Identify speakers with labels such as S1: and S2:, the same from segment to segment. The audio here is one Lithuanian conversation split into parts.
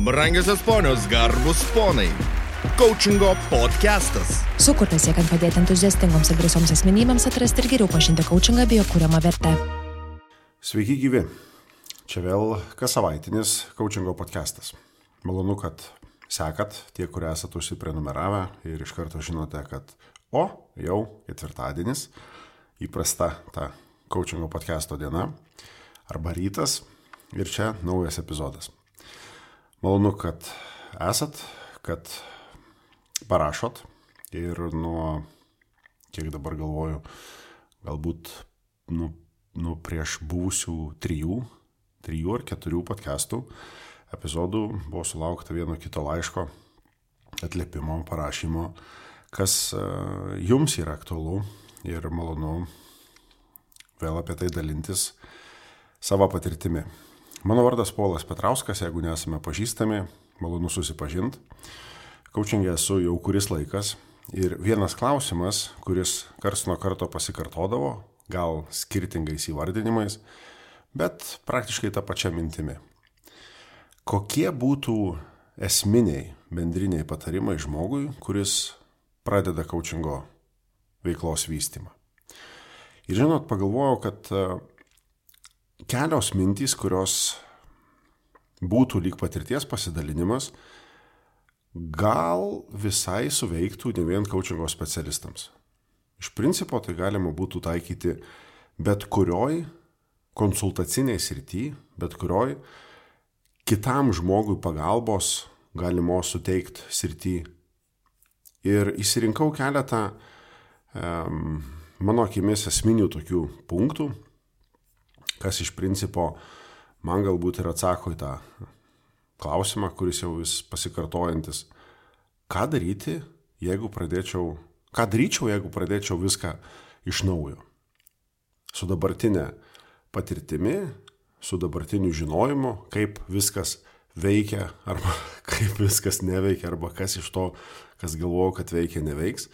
S1: Brangiosios ponios, garbus ponai. Coachingo podcastas.
S2: Sukurtas siekiant padėti entuziastingoms ir drąsioms asmenybėms atrasti ir geriau pažinti coachingą bei jo kuriamą vertę.
S3: Sveiki gyvi. Čia vėl kas savaitinis coachingo podcastas. Malonu, kad sekat tie, kurie esate užsiprenumeravę ir iš karto žinote, kad jau ketvirtadienis, įprasta ta coachingo podcasto diena arba rytas ir čia naujas epizodas. Malonu, kad esat, kad parašot ir nuo, kiek dabar galvoju, galbūt nuo prieš buvusių trijų ar keturių podcastų epizodų buvo sulaukta vieno kito laiško, atliepimo, parašymo, kas jums yra aktualu ir malonu vėl apie tai dalintis savo patirtimi. Mano vardas Polas Petrauskas, jeigu nesame pažįstami, malonu susipažinti. Coaching'e esu jau kuris laikas ir vienas klausimas, kuris karts nuo karto pasikartodavo, gal skirtingais įvardinimais, bet praktiškai tą pačią mintimį. Kokie būtų esminiai bendriniai patarimai žmogui, kuris pradeda coachingo veiklos vystymą? Ir žinot, pagalvojau, kad kelios mintys, kurios būtų lyg patirties pasidalinimas, gal visai suveiktų ne vien coachingo specialistams. Iš principo tai galima būtų taikyti bet kurioj konsultaciniai srity, bet kurioj kitam žmogui pagalbos galimos suteikti srity. Ir išsirinkau keletą mano akimis esminių tokių punktų, kas iš principo man galbūt ir atsako į tą klausimą, kuris jau vis pasikartojantis. Ką daryčiau, jeigu pradėčiau viską iš naujo? Su dabartinė patirtimi, su dabartiniu žinojimu, kaip viskas veikia, arba kaip viskas neveikia, arba kas iš to, kas galvoju, kad veikia, neveiks.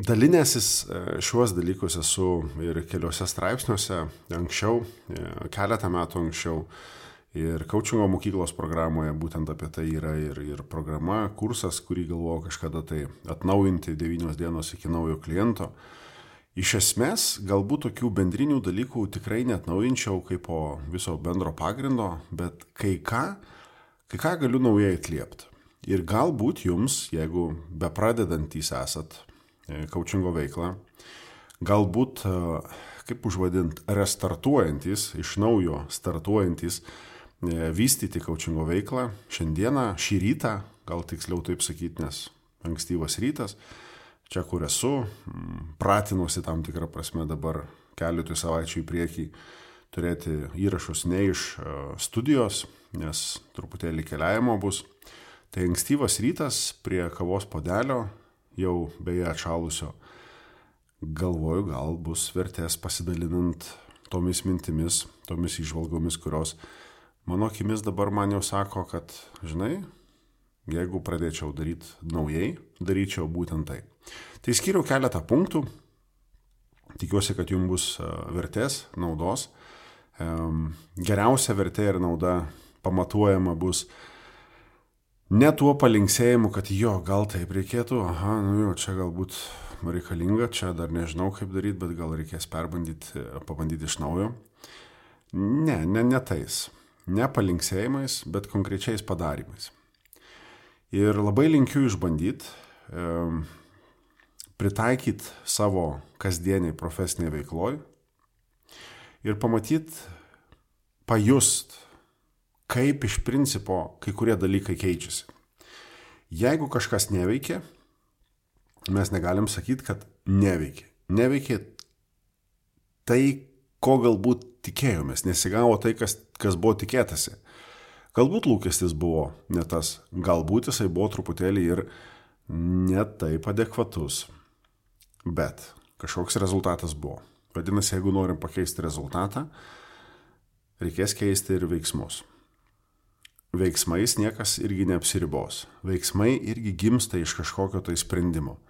S3: Dalinęsis šiuos dalykus esu ir keliuose straipsniuose anksčiau, keletą metų anksčiau. Ir coachingo mokyklos programoje būtent apie tai yra ir programa, kursas, kurį galvojau kažkada tai atnaujinti 9 dienos iki naujo kliento. Iš esmės, galbūt tokių bendrinių dalykų tikrai neatnaujinčiau kaip po viso bendro pagrindo, bet kai ką galiu naujai atliepti. Ir galbūt jums, jeigu bepradedantys esat coachingo veiklą, galbūt, kaip užvadint, restartuojantis, iš naujo startuojantis, vystyti coachingo veiklą šiandieną, šį rytą, gal tiksliau taip sakyti, nes ankstyvas rytas, čia kur esu, pratinuosi tam tikrą prasme dabar keletui savaičių į priekį turėti įrašus ne iš studijos, nes truputėlį keliavimo bus. Tai ankstyvas rytas prie kavos puodelio, jau beje atšalusio, galvoju, gal bus vertės pasidalinant tomis mintimis, tomis įžvalgomis, kurios mano akimis dabar man jau sako, kad, žinai, jeigu pradėčiau daryti naujai, daryčiau būtent tai. Tai skyriau keletą punktų, tikiuosi, kad jums bus vertės, naudos. Geriausia vertė ir nauda pamatuojama bus ne tuo palinksėjimu, kad gal taip reikėtų, čia galbūt reikalinga, čia dar nežinau kaip daryti, bet gal reikės pabandyti iš naujo. Ne tais. Ne palinksėjimais, bet konkrečiais padarymais. Ir labai linkiu išbandyti, pritaikyti savo kasdieniai profesiniai veikloj ir pamatyti, pajust, kaip iš principo kai kurie dalykai keičiasi. Jeigu kažkas neveikia, mes negalim sakyti, kad neveikia. Neveikia tai, ko galbūt tikėjomės, nesigavo tai, kas buvo tikėtasi. Galbūt lūkestis buvo ne tas, galbūt jisai buvo truputėlį ir ne taip adekvatus, bet kažkoks rezultatas buvo. Vadinasi, jeigu norim pakeisti rezultatą, reikės keisti ir veiksmus. Veiksmais niekas irgi neapsiribos. Veiksmai irgi gimsta iš kažkokio tai sprendimo.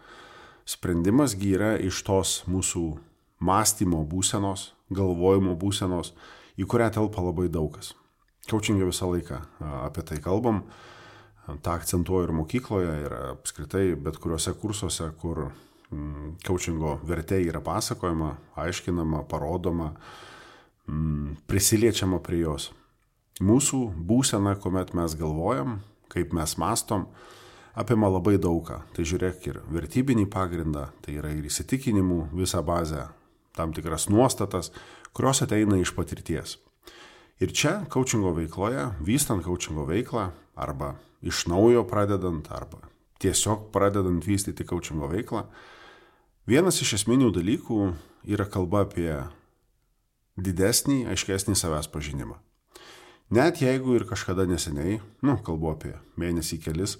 S3: Sprendimas yra iš tos mūsų mąstymo būsenos, galvojimo būsenos, į kurią telpa labai daugas. Coachingė visą laiką apie tai kalbam. Ta akcentuoju ir mokykloje, ir apskritai bet kuriuose kursuose, kur coachingo vertė yra pasakojama, aiškinama, parodoma, prisiliečiama prie jos. Mūsų būsena, kuomet mes galvojam, kaip mes mastom, apima labai daugą. Tai žiūrėk ir vertybinį pagrindą, tai yra ir įsitikinimų visą bazę, tam tikras nuostatas, kurios ateina iš patirties. Ir čia coachingo veikloje, vystant coachingo veiklą, arba iš naujo pradedant, arba tiesiog pradedant vystyti coachingo veiklą, vienas iš esminių dalykų yra kalba apie didesnį, aiškesnį savęs pažinimą. Net jeigu ir kažkada neseniai, kalbu apie mėnesį kelis,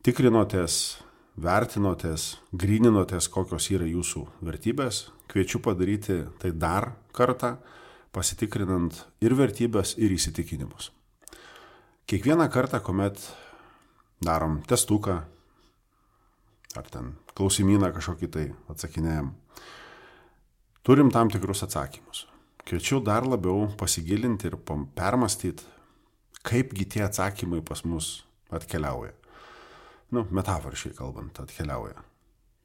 S3: tikrinotės, vertinotės, gryninotės, kokios yra jūsų vertybės, kviečiu padaryti tai dar kartą, pasitikrinant ir vertybės, ir įsitikinimus. Kiekvieną kartą, kuomet darom testuką, ar ten klausimyną kažkokį tai atsakinėjom, turim tam tikrus atsakymus. Kviečiu dar labiau pasigilinti ir permastyti, kaipgi tie atsakymai pas mus atkeliauja. Metaforiškai kalbant, atkeliauja.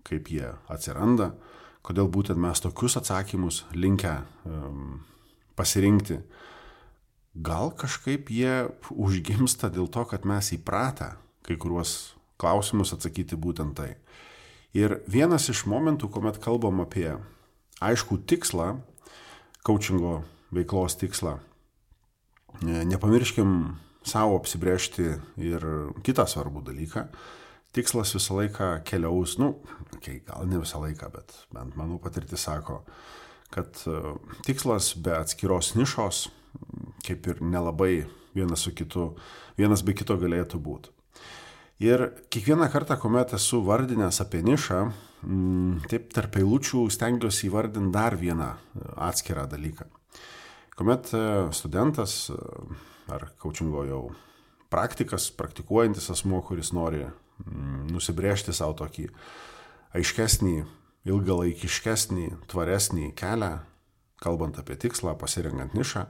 S3: Kaip jie atsiranda, kodėl būtent mes tokius atsakymus linkę pasirinkti. Gal kažkaip jie užgimsta dėl to, kad mes įpratę kai kuriuos klausimus atsakyti būtent tai. Ir vienas iš momentų, kuomet kalbam apie aiškų tikslą, coachingo veiklos tikslą, nepamirškim savo apsibrėžti ir kitą svarbų dalyką. Tikslas visą laiką keliaus, gal ne visą laiką, bet bent mano patirtis sako, kad tikslas be atskiros nišos, kaip ir nelabai vienas be kito galėtų būti. Ir kiekvieną kartą, kuomet esu vardinęs apie nišą, taip tarp eilučių stengiuosi įvardinti dar vieną atskirą dalyką. Kuomet studentas ar coachingo jau praktikas, praktikuojantis asmuo, kuris nori nusibrėžti savo tokį aiškesnį, ilgalaikiškesnį, tvaresnį kelią, kalbant apie tikslą, pasirenkant nišą,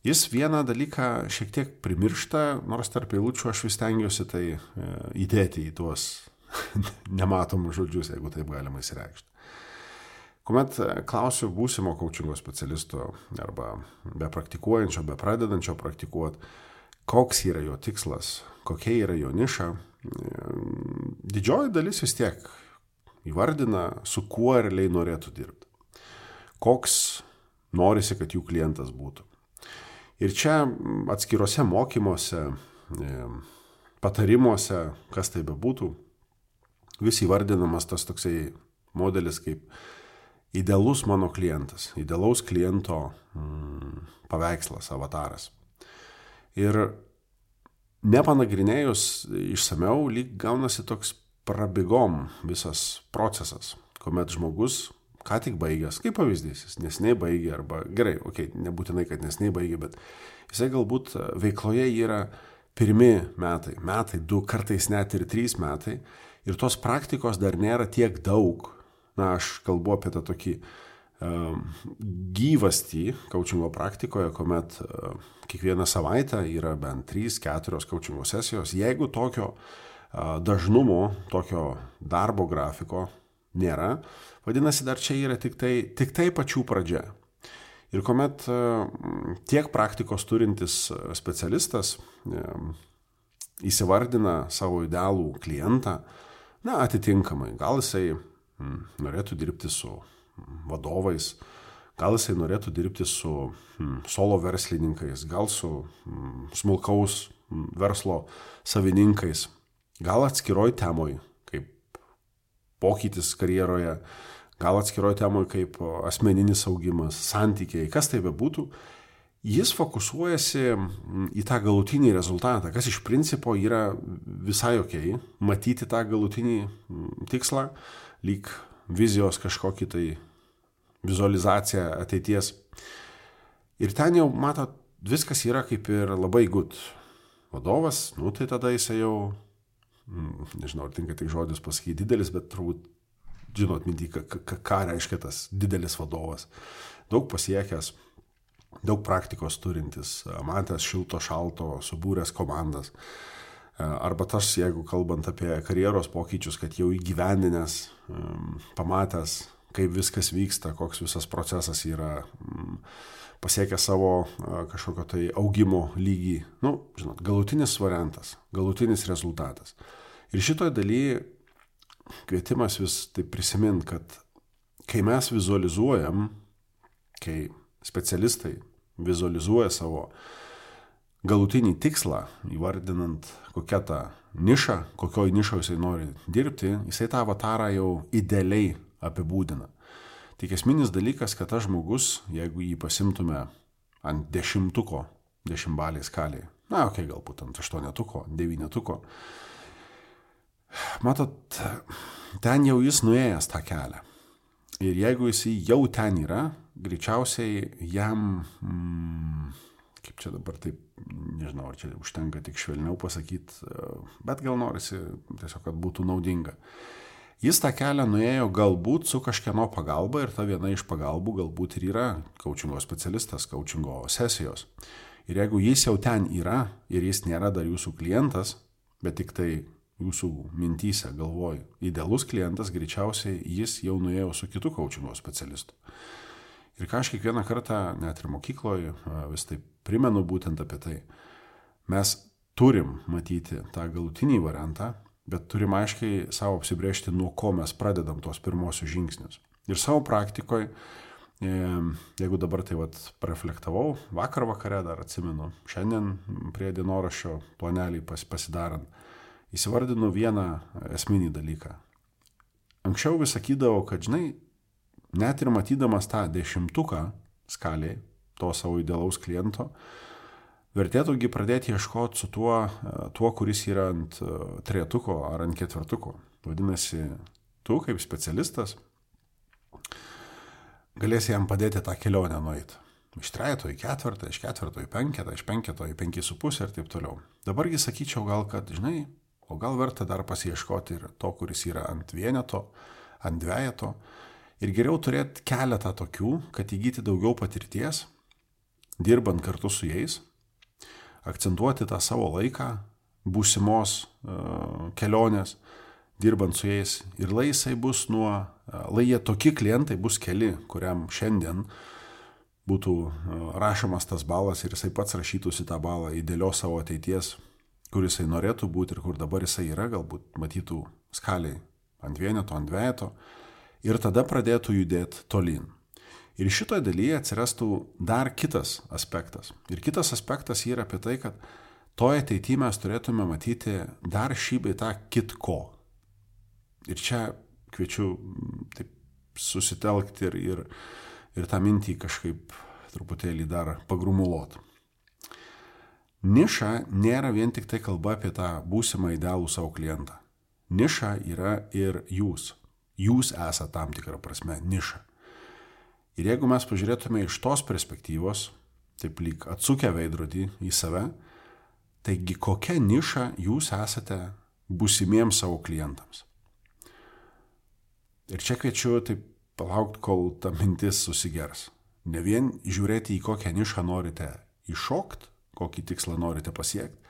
S3: jis vieną dalyką šiek tiek primiršta, nors tarp eilučių aš vis stengiuosi tai įdėti į tuos nematomus žodžius, jeigu taip galima įsireikšti. Kuomet klausiu būsimo coachingo specialisto arba be praktikuojančio, be pradedančio praktikuoti, koks yra jo tikslas, kokia yra jo niša, didžioji dalis vis tiek įvardina, su kuo realiai norėtų dirbti. Koks norisi, kad jų klientas būtų. Ir čia atskiruose mokymuose, patarimuose, kas tai bebūtų, vis įvardinamas tas toksai modelis kaip idealus mano klientas, idealaus kliento paveikslas, avataras. Ir nepanagrinėjus išsameu, lyg gaunasi toks prabėgom visas procesas, kuomet žmogus ką tik baigęs, kaip pavyzdys, jis neseniai baigė, arba gerai, nebūtinai, kad neseniai baigė, bet jisai galbūt veikloje yra pirmi metai, 2, kartais net ir 3 metai, ir tos praktikos dar nėra tiek daug. Aš kalbu apie tą tokį gyvastį coachingo praktikoje, kuomet kiekvieną savaitę yra bent 3-4 coachingo sesijos. Jeigu tokio dažnumo, tokio darbo grafiko nėra, vadinasi, dar čia yra tik tai pačių pradžia. Ir kuomet tiek praktikos turintis specialistas įsivardina savo idealų klientą, atitinkamai, gal jisai norėtų dirbti su vadovais, gal jisai norėtų dirbti su solo verslininkais, gal su smulkaus verslo savininkais, gal atskiroj temoj, kaip pokytis karjeroje, gal atskiroj temoj kaip asmeninis augimas, santykiai, kas tai bebūtų, jis fokusuojasi į tą galutinį rezultatą, kas iš principo yra visai okei, matyti tą galutinį tikslą, lyg vizijos kažkokį tai vizualizaciją ateities. Ir ten jau, matot, viskas yra kaip ir labai good. Vadovas, tai tada jisai jau, nežinau, ar tinka tik žodis pasakyti didelis, bet turbūt žinot mintį, ką reiškia tas didelis vadovas. Daug pasiekęs, daug praktikos turintis, matęs šilto, šalto, subūręs komandas. Arba tas, jeigu kalbant apie karjeros pokyčius, kad jau įgyvendinęs, pamatęs, kaip viskas vyksta, koks visas procesas yra, pasiekia savo kažkokio tai augimo lygį. Žinot, galutinis variantas, galutinis rezultatas. Ir šitoje dalyje kvietimas vis taip prisimint, kad kai mes vizualizuojam, kai specialistai vizualizuoja savo galutinį tikslą, įvardinant kokią tą nišą, kokioj nišoje jisai nori dirbti, jisai tą avatarą jau idealiai apibūdina. Tik esminis dalykas, kad tas žmogus, jeigu jį pasimtume ant 10-balės skalėje, galbūt ant 8-tuko, 9-tuko, matot, ten jau jis nuėjęs tą kelią. Ir jeigu jis jau ten yra, greičiausiai jam, kaip čia dabar taip, nežinau, ar čia užtenka tik švelniau pasakyti, bet gal norisi tiesiog, kad būtų naudinga. Jis tą kelią nuėjo galbūt su kažkieno pagalba ir ta viena iš pagalbų galbūt ir yra coachingo specialistas, coachingo sesijos. Ir jeigu jis jau ten yra ir jis nėra dar jūsų klientas, bet tik tai jūsų mintyse galvoj idealus klientas, greičiausiai jis jau nuėjo su kitu coachingo specialistu. Ir ką aš kiekvieną kartą, net ir mokykloje, vis taip primenu būtent apie tai. Mes turim matyti tą galutinį variantą, bet turim aiškiai savo apsibrėžti, nuo ko mes pradedam tos pirmosius žingsnius. Ir savo praktikoje, jeigu dabar tai pareflektavau, vakar vakare dar atsimenu, šiandien prie dienoraščio planelį pasidarant, įsivardinu vieną esminį dalyką. Anksčiau vis sakydavau, kad žinai, net ir matydamas tą 10-tuką skalėje, to savo idealaus kliento, vertėtųgi pradėti ieškoti su tuo, kuris yra ant 3-tuko ar ant 4-tuko. Vadinasi, tu kaip specialistas galėsi jam padėti tą kelionę nueiti. Iš 3 į 4, iš 4 į 5, iš 5 į 5,5 ir taip toliau. Dabargi sakyčiau gal, kad žinai, o gal verta dar pasiieškoti ir to, kuris yra ant 1, ant 2. Ir geriau turėti keletą tokių, kad įgyti daugiau patirties, dirbant kartu su jais, akcentuoti tą savo laiką, būsimos kelionės, dirbant su jais. Ir lai jie tokie klientai bus keli, kuriam šiandien būtų rašomas tas balas ir jisai pats rašytųsi tą balą idealios savo ateities, kur jisai norėtų būti ir kur dabar jisai yra, galbūt matytų skaliai ant 1, ant 2 ir tada pradėtų judėti tolyn. Ir šitoje dalyje atsirastų dar kitas aspektas. Ir kitas aspektas yra apie tai, kad toje ateityje mes turėtume matyti dar šį bei tą kitko. Ir čia kviečiu taip susitelkti ir tą mintį kažkaip truputėlį dar pagrumuluoti. Niša nėra vien tik tai kalba apie tą būsimą idealų savo klientą. Niša yra ir jūs. Jūs esate tam tikrą prasme niša. Ir jeigu mes pažiūrėtume iš tos perspektyvos, taip lyg atsukę veidrodį į save, taigi kokia niša jūs esate būsimiems savo klientams. Ir čia kviečiu taip palaukti, kol ta mintis susigers. Ne vien žiūrėti į kokią nišą norite iššokti, kokį tikslą norite pasiekti,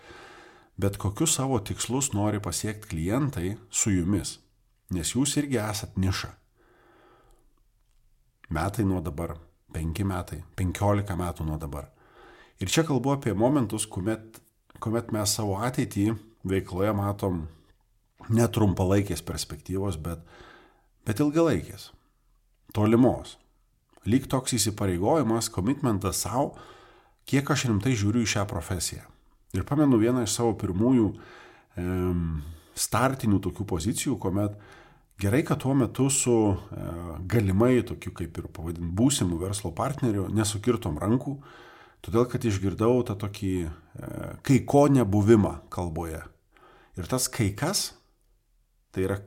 S3: bet kokius savo tikslus nori pasiekti klientai su jumis, nes jūs irgi esat niša. Metai nuo dabar, 5 metai, 15 metų nuo dabar. Ir čia kalbu apie momentus, kuomet mes savo ateitį veikloje matom ne trumpalaikės perspektyvos, bet ilgalaikės, tolimos. Lyg toks įsipareigojimas, komitmentas savo, kiek aš rimtai žiūriu į šią profesiją. Ir pamenu vieną iš savo pirmųjų startinių tokių pozicijų, kuomet gerai, kad tuo metu su galimai tokiu kaip ir pavadint būsimų verslo partnerių nesukirtom rankų, todėl kad išgirdau tą tokį kai ko nebuvimą kalboje. Ir tas kai kas, tai yra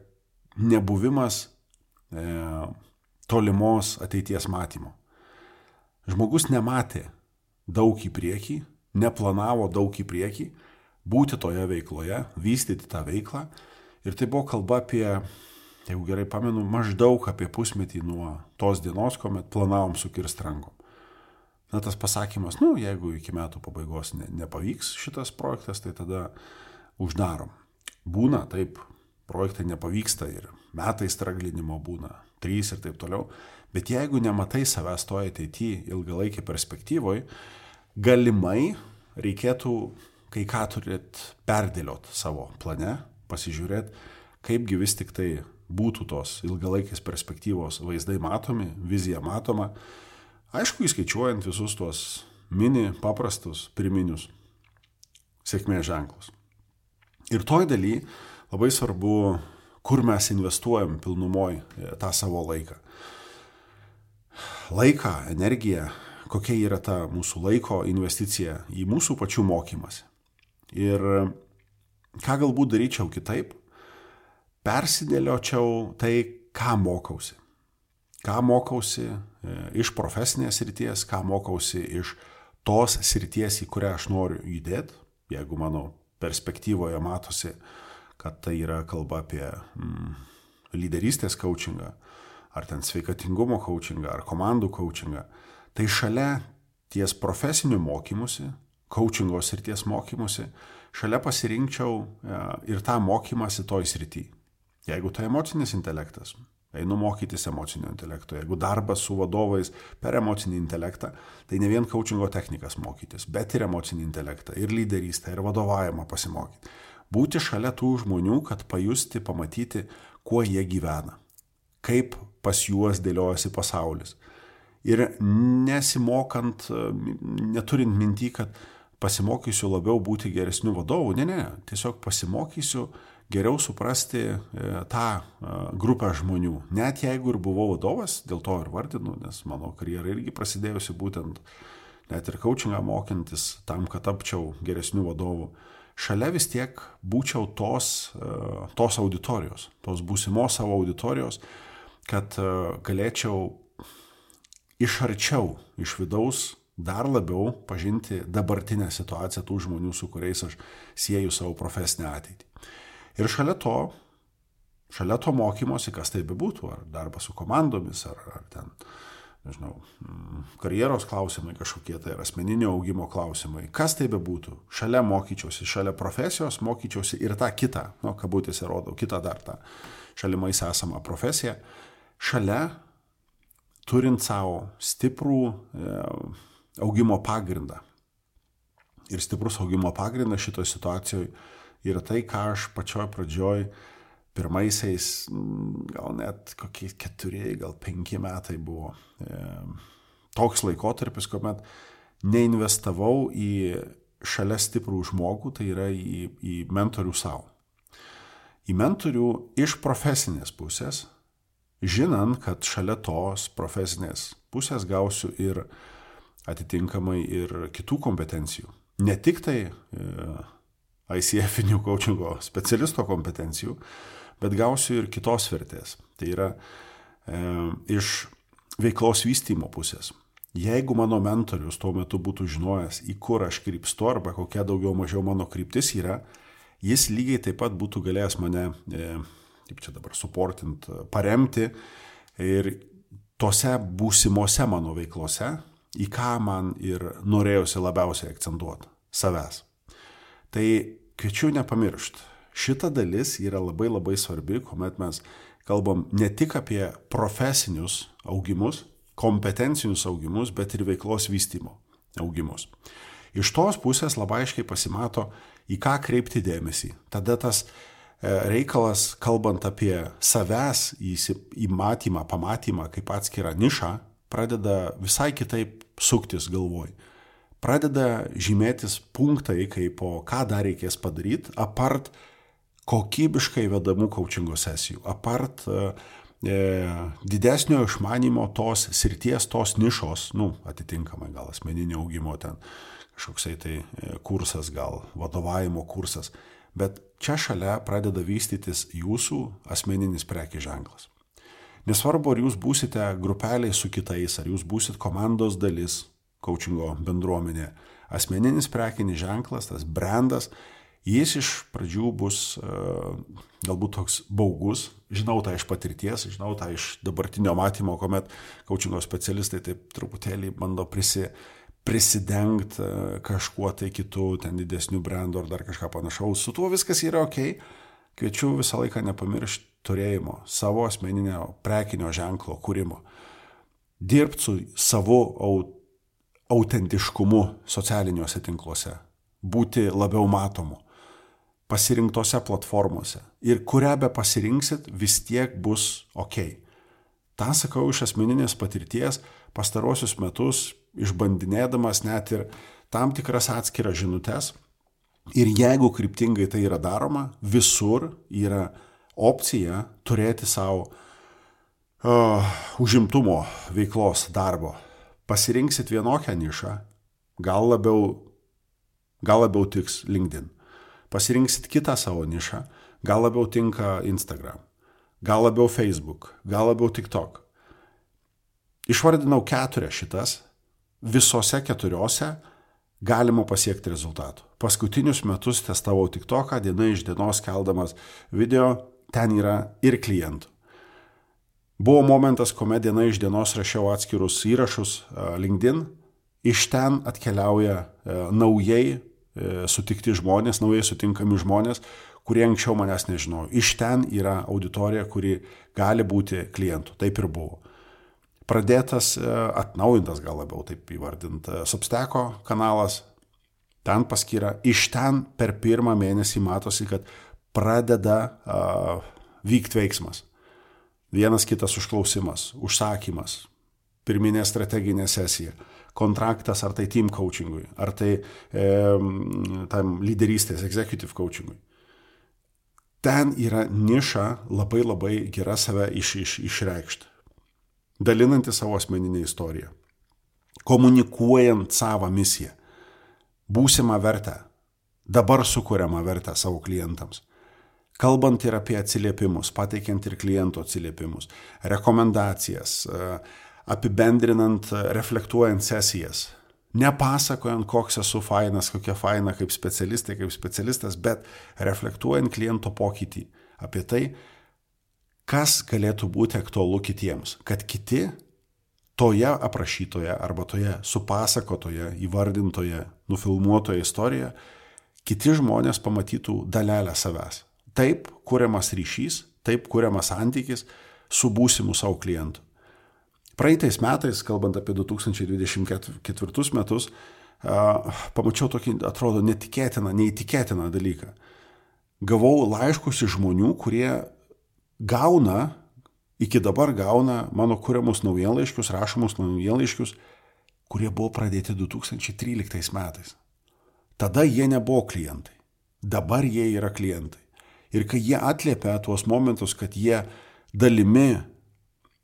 S3: nebuvimas tolimos ateities matymo. Žmogus nematė daug į priekį, neplanavo daug į priekį, būti toje veikloje, vystyti tą veiklą. Ir tai buvo kalba apie, jeigu gerai pamenu, maždaug apie pusmetį nuo tos dienos, kuomet planavom sukirsti rankom. tas pasakymas, jeigu iki metų pabaigos nepavyks šitas projektas, tai tada uždarom. Būna, taip, projektai nepavyksta ir metai straglinimo būna, 3 ir taip toliau, bet jeigu nematai savęs toje ateityje ilgalaikį perspektyvoje, galimai reikėtų kai ką turėti perdėliot savo plane, pasižiūrėti, kaipgi vis tik tai būtų tos ilgalaikės perspektyvos vaizdai matomi, vizija matoma, aišku, įskaičiuojant visus tuos mini paprastus pirminius sėkmės ženklus. Ir toj daly labai svarbu, kur mes investuojam pilnumoj tą savo laiką. Laiką, energiją, kokia yra ta mūsų laiko investicija į mūsų pačių mokymąsi. Ir ką galbūt daryčiau kitaip, persidėliočiau tai, ką mokausi. Ką mokausi iš profesinės srities, ką mokausi iš tos srities, į kurią aš noriu judėti, jeigu mano perspektyvoje matosi, kad tai yra kalba apie lyderystės coachingą, ar ten sveikatingumo coachingą, ar komandų coachingą, tai šalia ties profesinių mokymusi, coachingo srities mokymusi, šalia pasirinkčiau ir tą mokymąsi toj srity. Jeigu tai emocinis intelektas, einu mokytis emocinio intelekto. Jeigu darbas su vadovais per emocinį intelektą, tai ne vien coachingo technikas mokytis, bet ir emocinį intelektą, ir lyderystę, ir vadovavimą pasimokyti. Būti šalia tų žmonių, kad pajusti, pamatyti, kuo jie gyvena, kaip pas juos dėliojasi pasaulis. Ir nesimokant, neturint minty, kad pasimokysiu labiau būti geresniu vadovu, ne, tiesiog pasimokysiu geriau suprasti tą grupę žmonių. Net jeigu ir buvau vadovas, dėl to ir vardinu, nes mano karjera irgi prasidėjusi būtent net ir coachingą mokintis tam, kad tapčiau geresniu vadovu. Šalia vis tiek būčiau tos auditorijos, tos būsimos savo auditorijos, kad galėčiau iš arčiau, iš vidaus dar labiau pažinti dabartinę situaciją tų žmonių, su kuriais aš sieju savo profesinę ateitį. Ir šalia to mokymosi, kas tai bebūtų, ar darbas su komandomis, ar ten, nežinau, karjeros klausimai kažkokie, tai ar asmeninio augimo klausimai, kas tai bebūtų, šalia mokyčiausi, šalia profesijos mokyčiausi ir tą kitą, kabutėse rodau, kitą dar tą šalimais esamą profesiją, šalia turint savo stiprų augimo pagrindą. Ir stiprus augimo pagrindas šitoje situacijoje yra tai, ką aš pačioj pradžioj pirmaisiais, gal net kokie 4, gal 5 metai buvo toks laikotarpis, kuomet neinvestavau į šalia stiprų žmogų, tai yra į mentorių savo. Į mentorių iš profesinės pusės, žinant, kad šalia tos profesinės pusės gausiu ir atitinkamai ir kitų kompetencijų. Ne tik tai ICF-inių coachingo specialisto kompetencijų, bet gausiu ir kitos vertės. Tai yra iš veiklos vystymo pusės. Jeigu mano mentorius tuo metu būtų žinojęs, į kur aš krypstu arba kokia daugiau mažiau mano kryptis yra, jis lygiai taip pat būtų galėjęs mane, kaip čia dabar suportint, paremti ir tose būsimose mano veiklose, į ką man ir norėjusi labiausiai akcentuoti – savęs. Tai kviečiu nepamiršti. Šita dalis yra labai labai svarbi, kuomet mes kalbam ne tik apie profesinius augimus, kompetencinius augimus, bet ir veiklos vystymo augimus. Iš tos pusės labai aiškiai pasimato, į ką kreipti dėmesį. Tada tas reikalas, kalbant apie savęs įmatymą, pamatymą kaip atskirą nišą, pradeda visai kitaip suktis galvoj. Pradeda žymėtis punktai, kaip ką dar reikės padaryti, apart kokybiškai vedamų coachingo sesijų, apart didesnio išmanimo tos srities, tos nišos, atitinkamai gal asmeninio augimo ten kažkoksai tai kursas, gal vadovavimo kursas, bet čia šalia pradeda vystytis jūsų asmeninis prekės ženklas. Nesvarbu, ar jūs būsite grupeliai su kitais, ar jūs būsit komandos dalis, coachingo bendruomenė, asmeninis prekinis ženklas, tas brandas, jis iš pradžių bus galbūt toks baugus, žinau tą iš patirties, žinau tą iš dabartinio matymo, kuomet coachingo specialistai taip truputėlį bando prisidengti kažkuo tai kitu, ten didesnių brandų ar dar kažką panašaus. Su tuo viskas yra ok. Kviečiu visą laiką nepamiršti turėjimo, savo asmeninio prekinio ženklo kūrimo. Dirbti su savo autentiškumu socialiniuose tinkluose. Būti labiau matomu. Pasirinktose platformose. Ir kurią be pasirinksit, vis tiek bus ok. Ta sakau iš asmeninės patirties, pastarosius metus išbandinėdamas net ir tam tikras atskiras žinutes. Ir jeigu kryptingai tai yra daroma, visur yra opcija turėti savo užimtumo veiklos darbo. Pasirinksit vienokią nišą, gal labiau tiks LinkedIn. Pasirinksit kitą savo nišą, gal labiau tinka Instagram, gal labiau Facebook, gal labiau TikTok. Išvardinau 4 šitas, visose 4 galima pasiekti rezultatų. Paskutinius metus testavau TikToką, diena iš dienos keldamas video, ten yra ir klientų. Buvo momentas, kuomet diena iš dienos rašiau atskirus įrašus LinkedIn, iš ten atkeliauja naujai sutikti žmonės, naujai sutinkami žmonės, kurie anksčiau manęs nežinojo. Iš ten yra auditorija, kuri gali būti klientų. Taip ir buvo. Pradėtas, atnaujintas gal labiau taip įvardint, Substacko kanalas, ten paskyra, iš ten per pirmą mėnesį matosi, kad pradeda vykti veiksmas. Vienas kitas užklausimas, užsakymas, pirminė strateginė sesija, kontraktas ar tai team coachingui, ar tai tam lyderystės, executive coachingui. Ten yra niša labai gera save išreikšti. Dalinanti savo asmeninę istoriją, komunikuojant savo misiją, būsimą vertę, dabar sukuriamą vertę savo klientams, kalbant ir apie atsiliepimus, pateikiant ir klientų atsiliepimus, rekomendacijas, apibendrinant, reflektuojant sesijas, nepasakojant, koks esu fainas, kokia faina kaip specialistė, kaip specialistas, bet reflektuojant kliento pokytį apie tai, kas galėtų būti aktualu kitiems, kad kiti toje aprašytoje arba toje supasakotoje, įvardintoje, nufilmuotoje istorijoje, kiti žmonės pamatytų dalelę savęs. Taip kuriamas ryšys, taip kuriamas santykis su būsimu savo klientu. Praeitais metais, kalbant apie 2024 metus, pamačiau tokį, atrodo, neįtikėtiną dalyką. Gavau laiškus iš žmonių, kurie iki dabar gauna mano kuriamus naujienlaiškius, rašomus naujienlaiškius, kurie buvo pradėti 2013 metais. Tada jie nebuvo klientai. Dabar jie yra klientai. Ir kai jie atliepia tuos momentus, kad jie dalimi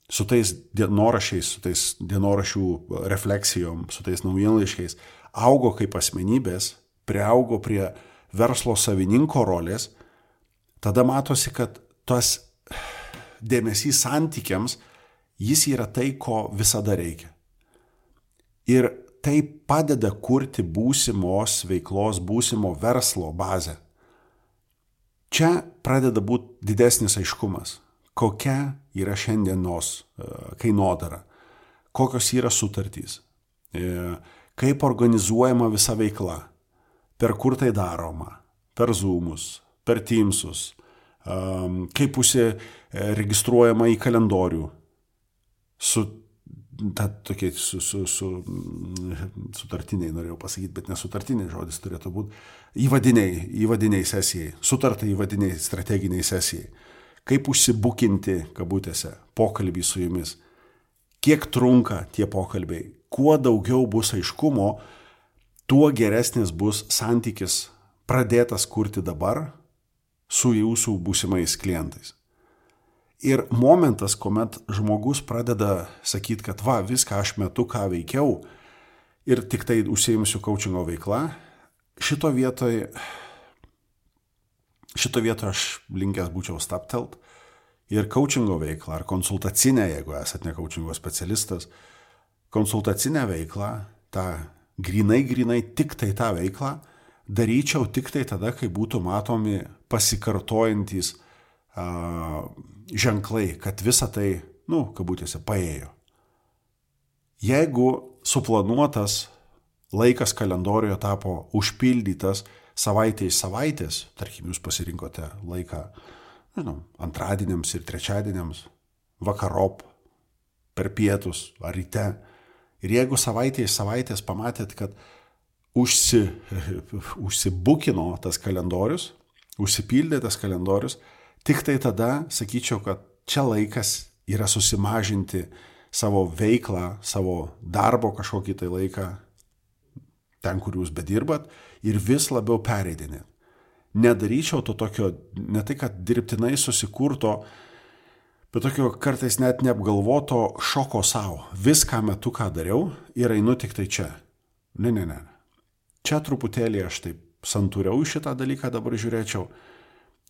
S3: su tais dienoraščiais, su tais dienoraščių refleksijom, su tais naujienlaiškiais, augo kaip asmenybės, priaugo prie verslo savininko rolės, tada matosi, kad tas dėmesys santykiams, jis yra tai, ko visada reikia. Ir tai padeda kurti būsimos veiklos, būsimo verslo bazę. Čia pradeda būti didesnis aiškumas, kokia yra šiandienos kainodara, kokios yra sutartys, kaip organizuojama visa veikla, per kur tai daroma, per Zoomus, per Teamsus, kaip registruojama į kalendorių, sutartiniai norėjau pasakyti, bet nesutartiniai žodis turėtų būti, įvadiniai sesijai, sutarta įvadiniai strateginiai sesijai, kaip užsibukinti, kabutėse, pokalbį su jumis, kiek trunka tie pokalbiai, kuo daugiau bus aiškumo, tuo geresnis bus santykis pradėtas kurti dabar su jūsų būsimais klientais. Ir momentas, kuomet žmogus pradeda sakyti, kad viską aš metu, ką veikiau ir tik tai užsiimsiu coachingo veikla, šito vietoje aš linkęs būčiau staptelt ir coachingo veiklą, ar konsultacinę, jeigu esate ne coachingo specialistas, konsultacinę veiklą, tą grinai tik tai tą veiklą, daryčiau tik tai tada, kai būtų matomi pasikartojantys ženklai, kad visa tai, kabutėse, paėjo. Jeigu suplanuotas laikas kalendorijoje tapo užpildytas savaitė iš savaitės, tarkim, jūs pasirinkote laiką, antradieniams ir trečiadieniams, vakarop, per pietus ar ryte. Ir jeigu savaitė iš savaitės pamatėt, kad užsibukino tas kalendorius, užsipildė tas kalendorius, tik tai tada sakyčiau, kad čia laikas yra susimažinti savo veiklą, savo darbo kažkokį tai laiką, ten, kur jūs bedirbat, ir vis labiau pereidinėt. Nedaryčiau to tokio, ne tai, kad dirbtinai susikurto, bet tokio kartais net neapgalvoto šoko savo. Viską metu, ką dariau, ir einu tik tai čia. Ne. Čia truputėlį aš taip santūriau šitą dalyką dabar žiūrėčiau.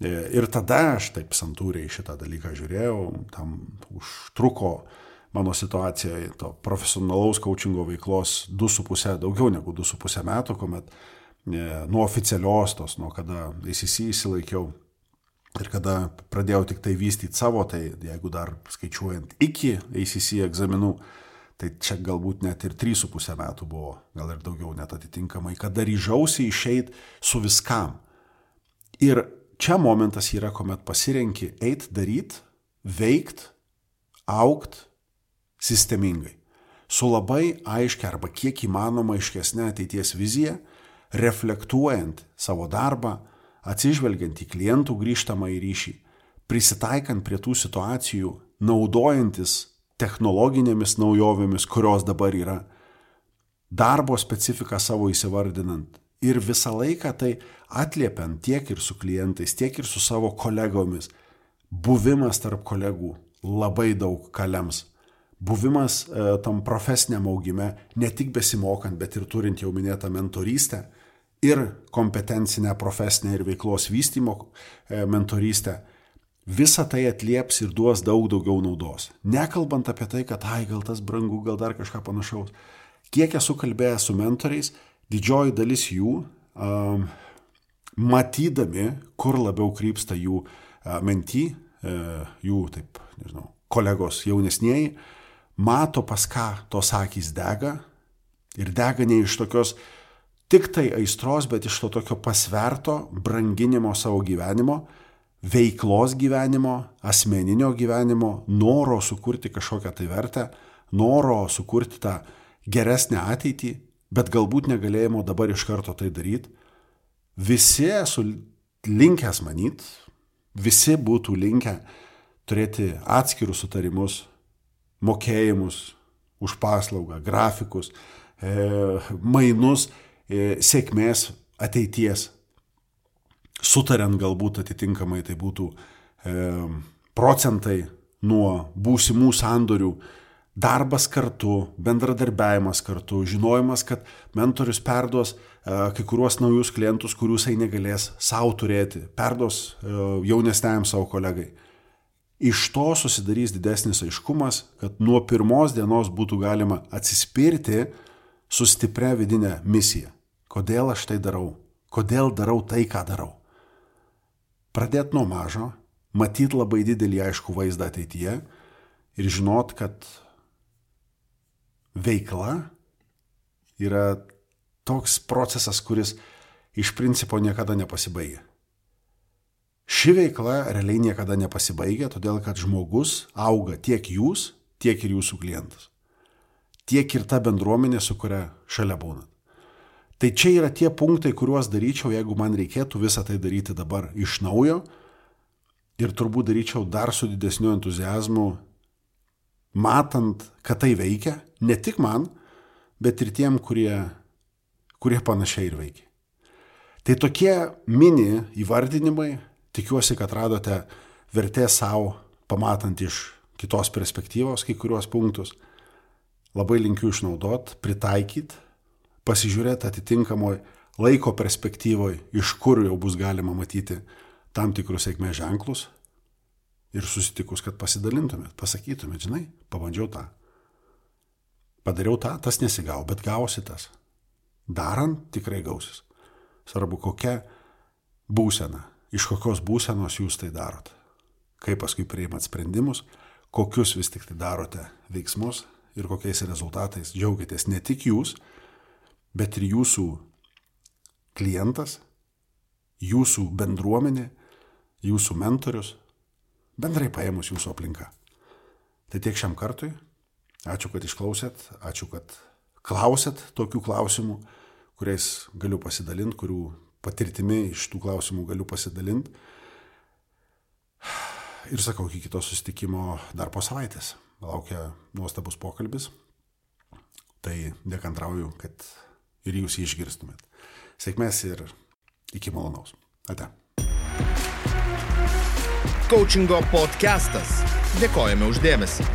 S3: Ir tada aš taip santūriai šitą dalyką žiūrėjau, tam užtruko mano situacija to profesionalaus coachingo veiklos 2,5, daugiau negu 2,5 metų, kuomet nuo oficialios tos, nuo kada ACC įsilaikiau ir kada pradėjau tik tai vystyti savo, tai jeigu dar skaičiuojant iki ACC egzaminų, tai čia galbūt net ir 3,5 metų buvo, gal ir daugiau net atitinkamai, kada ryžausi išeit su viskam. Ir čia momentas yra, kuomet pasirenki eit, daryt, veikt, augt sistemingai. Su labai aiškia arba kiek įmanoma aiškesnė ateities vizija, reflektuojant savo darbą, atsižvelgiant į klientų grįžtamą į ryšį, prisitaikant prie tų situacijų, naudojantis technologinėmis naujovėmis, kurios dabar yra, darbo specifiką savo įsivardinant ir visą laiką tai atliepiant tiek ir su klientais, tiek ir su savo kolegomis. Buvimas tarp kolegų labai daug ką lems. Buvimas tam profesiniam augime, ne tik besimokant, bet ir turint jau minėtą mentorystę ir kompetencinę profesinę ir veiklos vystymo mentorystę, visa tai atlieps ir duos daug daugiau naudos. Nekalbant apie tai, kad gal tas brangu, gal dar kažką panašaus. Kiek esu kalbėjęs su mentoriais, didžioji dalis jų, matydami, kur labiau krypsta jų mentį, jų, taip, kolegos jaunesnieji, mato, pas ką tos akys dega ir dega ne iš tokios tik tai aistros, bet iš to tokio pasverto branginimo savo gyvenimo, veiklos gyvenimo, asmeninio gyvenimo, noro sukurti kažkokią tai vertę, noro sukurti tą geresnę ateitį, bet galbūt negalėjimo dabar iš karto tai daryti. Visi esu linkęs manyt, visi būtų linkę turėti atskirus sutarimus, mokėjimus už paslaugą, grafikus, mainus, sėkmės ateities. Sutariant galbūt atitinkamai tai būtų procentai nuo būsimų sandorių, darbas kartu, bendradarbiavimas kartu, žinojimas, kad mentorius perduos kai kuriuos naujus klientus, kurių jisai negalės savo turėti, perduos jaunesniajam savo kolegai. Iš to susidarys didesnis aiškumas, kad nuo pirmos dienos būtų galima atsispirti su stipria vidinė misija. Kodėl aš tai darau? Kodėl darau tai, ką darau? Pradėti nuo mažo, matyti labai didelį aiškų vaizdą ateityje ir žinot, kad veikla yra toks procesas, kuris iš principo niekada nepasibaigia. Ši veikla realiai niekada nepasibaigia, todėl kad žmogus auga tiek jūs, tiek ir jūsų klientas. Tiek ir ta bendruomenė, su kuria šalia būnat. Tai čia yra tie punktai, kuriuos daryčiau, jeigu man reikėtų visą tai daryti dabar iš naujo ir turbūt daryčiau dar su didesniu entuziazmu, matant, kad tai veikia, ne tik man, bet ir tiem, kurie panašiai ir veikia. Tai tokie mini įvardinimai, tikiuosi, kad radote vertės savo, pamatant iš kitos perspektyvos kai kuriuos punktus. Labai linkiu išnaudot, pritaikyti, pasižiūrėti atitinkamoj laiko perspektyvoj, iš kur jau bus galima matyti tam tikrus sėkmės ženklus ir susitikus, kad pasidalintumėt, pasakytumėt, žinai, pabandžiau tą. Padariau tą, tas nesigavo, bet gausi tas. Darant tikrai gausis. Svarbu, kokia būsena, iš kokios būsenos jūs tai darot. Kaip paskui priimat sprendimus, kokius vis tik tai darote veiksmus ir kokiais rezultatais džiaugiatės ne tik jūs, bet ir jūsų klientas, jūsų bendruomenė, jūsų mentorius, bendrai paėmus jūsų aplinka. Tai tiek šiam kartui. Ačiū, kad išklausėt, ačiū, kad klausėt tokių klausimų, kuriais galiu pasidalinti, kurių patirtimi iš tų klausimų galiu pasidalinti. Ir sakau, iki kito susitikimo dar po savaitės. Laukia nuostabus pokalbis. Tai nekantrauju, kad ir jūs jį išgirstumėt. Sėkmės ir iki malonaus. Ate.
S1: Coachingo podcastas. Dėkojame už dėmesį.